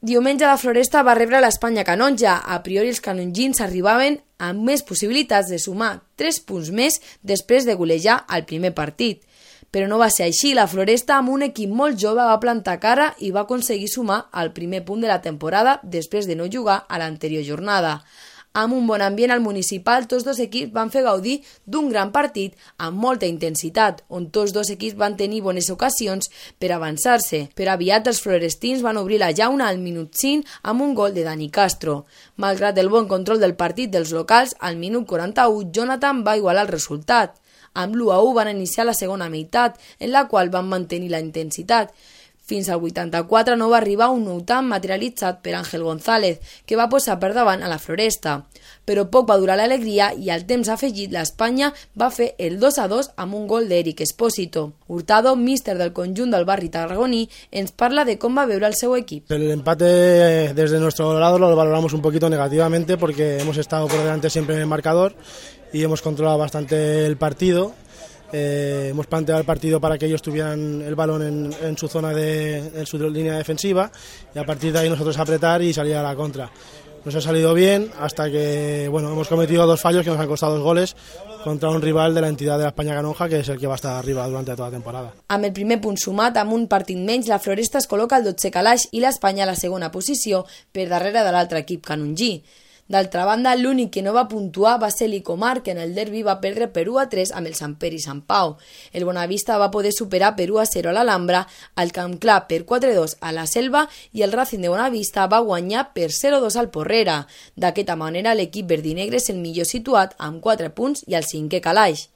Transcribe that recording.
Diumenge la Floresta va rebre l'Espanya Canonja. A priori els canongins arribaven amb més possibilitats de sumar 3 punts més després de golejar al primer partit. Però no va ser així. La Floresta, amb un equip molt jove, va plantar cara i va aconseguir sumar el primer punt de la temporada després de no jugar a l'anterior jornada. Amb un bon ambient al municipal, tots dos equips van fer gaudir d'un gran partit amb molta intensitat, on tots dos equips van tenir bones ocasions per avançar-se. Però aviat els florestins van obrir la llauna al minut 5 amb un gol de Dani Castro. Malgrat el bon control del partit dels locals, al minut 41 Jonathan va igualar el resultat. Amb l'1-1 van iniciar la segona meitat, en la qual van mantenir la intensitat. Fins al 84 no va arribar un nou tant materialitzat per Ángel González, que va posar per davant a la Floresta. Però poc va durar l'alegria i al temps afegit l'Espanya va fer el 2-2 amb un gol d'Eric Espósito. Hurtado, míster del conjunt del barri tarragoní, ens parla de com va veure el seu equip. El empate desde nuestro lado lo valoramos un poquito negativamente porque hemos estado por delante siempre en el marcador y hemos controlado bastante el partido. Hemos planteado el partido para que ellos tuvieran el balón en su zona en su línea defensiva y a partir de ahí nosotros apretar y salir a la contra. Nos ha salido bien hasta que hemos cometido 2 fallos que nos han costado 2 goles contra un rival de la entidad de l'Espanya Canonja, que és el que va estar arriba durante toda la temporada. Amb el primer punt sumat, amb un partit menys, la Floresta es col·loca al 12è calaix i l'Espanya a la segona posició per darrere de l'altre equip canongí. D'altra banda, l'únic que no va puntuar va ser l'Icomar, que en el derbi va perdre per 1-3 amb el Sant Pere i Sant Pau. El Bonavista va poder superar per 1-0 a l'Alhambra, el Camp Clar per 4-2 a la Selva i el Racing de Bonavista va guanyar per 0-2 al Porrera. D'aquesta manera, l'equip verdinegre és el millor situat amb 4 punts i al 5è calaix.